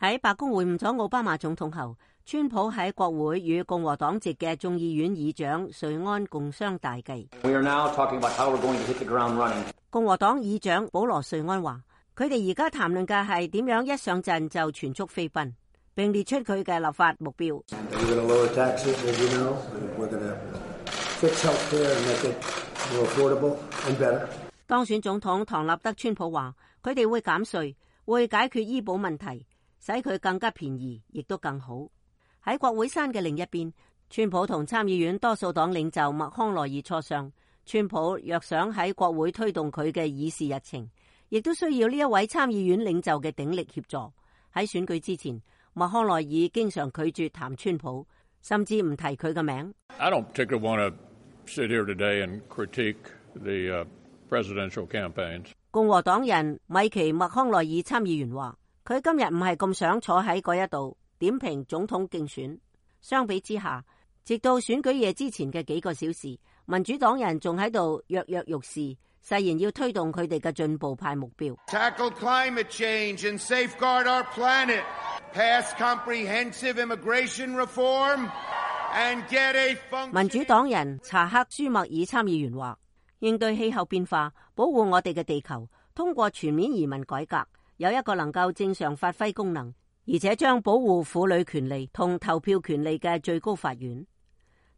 喺白宮會晤咗奧巴馬總統後，川普喺國會與共和黨籍嘅眾議院議長瑞安共商大計。共和黨議長保羅瑞安話，佢哋而家談論嘅係點樣一上陣就全速飛奔，並列出佢嘅立法目標。當選總統唐納德川普話，佢哋會減稅，會解決醫保問題，使佢更加便宜，亦都更好。喺國會山嘅另一邊，川普同參議院多數黨領袖麥康奈爾磋商。川普若想喺國會推動佢嘅議事日程，亦都需要呢一位參議院領袖嘅鼎力協助。喺選舉之前，麥康奈爾經常拒絕談川普，甚至唔提佢嘅名。I don't particularly want to sit here today and critique the presidential campaigns. 共和黨人米奇麥康奈爾參議員話，佢今日唔係咁想坐喺嗰一度點評總統競選。相比之下，直到選舉夜之前嘅幾個小時，民主黨人仲喺度躍躍欲試，誓言要推動佢哋嘅進步派目標。Tackle climate change and safeguard our planet. Pass comprehensive immigration reform and get a function. 民主黨人查克舒默爾參議員話，應對氣候變化，保護我哋嘅地球，通過全面移民改革，有一個能夠正常發揮功能，而且將保護婦女權利同投票權利嘅最高法院。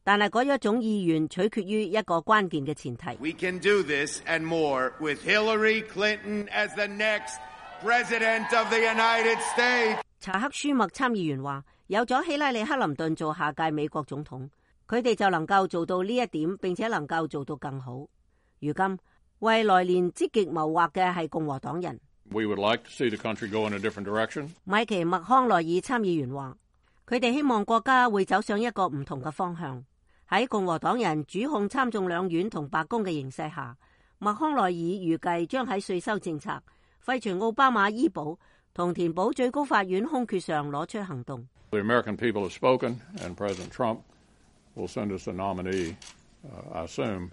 但係嗰一種意願取決於一個關鍵嘅前提。We can do this and more with Hillary Clinton as the next president of the United States. 查克舒默參議員話，有咗希拉里克林頓做下屆美國總統，佢哋就能夠做到呢一點，並且能夠做到更好。如今為來年積極謀劃嘅係共和黨人。We would like to see the country go in a different direction. 米奇麥康奈爾參議員話，佢哋希望國家會走上一個唔同嘅方向。喺共和黨人主控參眾兩院同白宮嘅形勢下，麥康奈爾預計將喺稅收政策、廢除奧巴馬醫保同填補最高法院空缺上攞出行動。The American people have spoken, and President Trump will send us a nominee, I assume,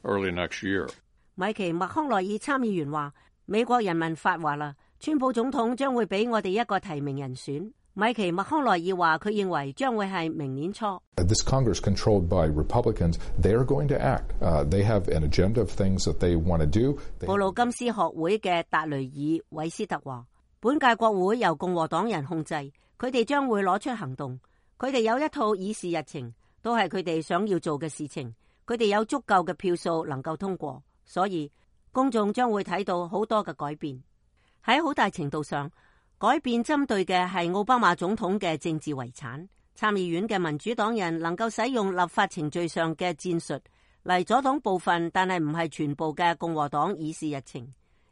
early next year. 米奇麥康奈爾參議員話，美國人民發話啦，川普總統將會俾我哋一個提名人選。米奇麥康奈爾話，佢認為將會係明年初。This Congress controlled by Republicans, they are going to act. They have an agenda of things that they want to do. 布魯金斯學會嘅達雷爾韋斯特話，本屆國會由共和黨人控制，佢哋將會攞出行動。佢哋有一套議事日程，都係佢哋想要做嘅事情。佢哋有足夠嘅票數能夠通過，所以公眾將會睇到好多嘅改變。喺好大程度上，改變針對嘅係奧巴馬總統嘅政治遺產。參議院嘅民主黨人能夠使用立法程序上嘅戰術嚟阻擋部分，但係唔係全部嘅共和黨議事日程。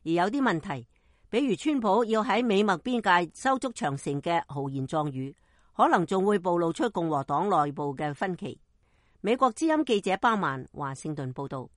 而有啲問題，比如川普要喺美墨邊界修築長城嘅豪言壯語，可能仲會暴露出共和黨內部嘅分歧。美國之音記者包曼華盛頓報道。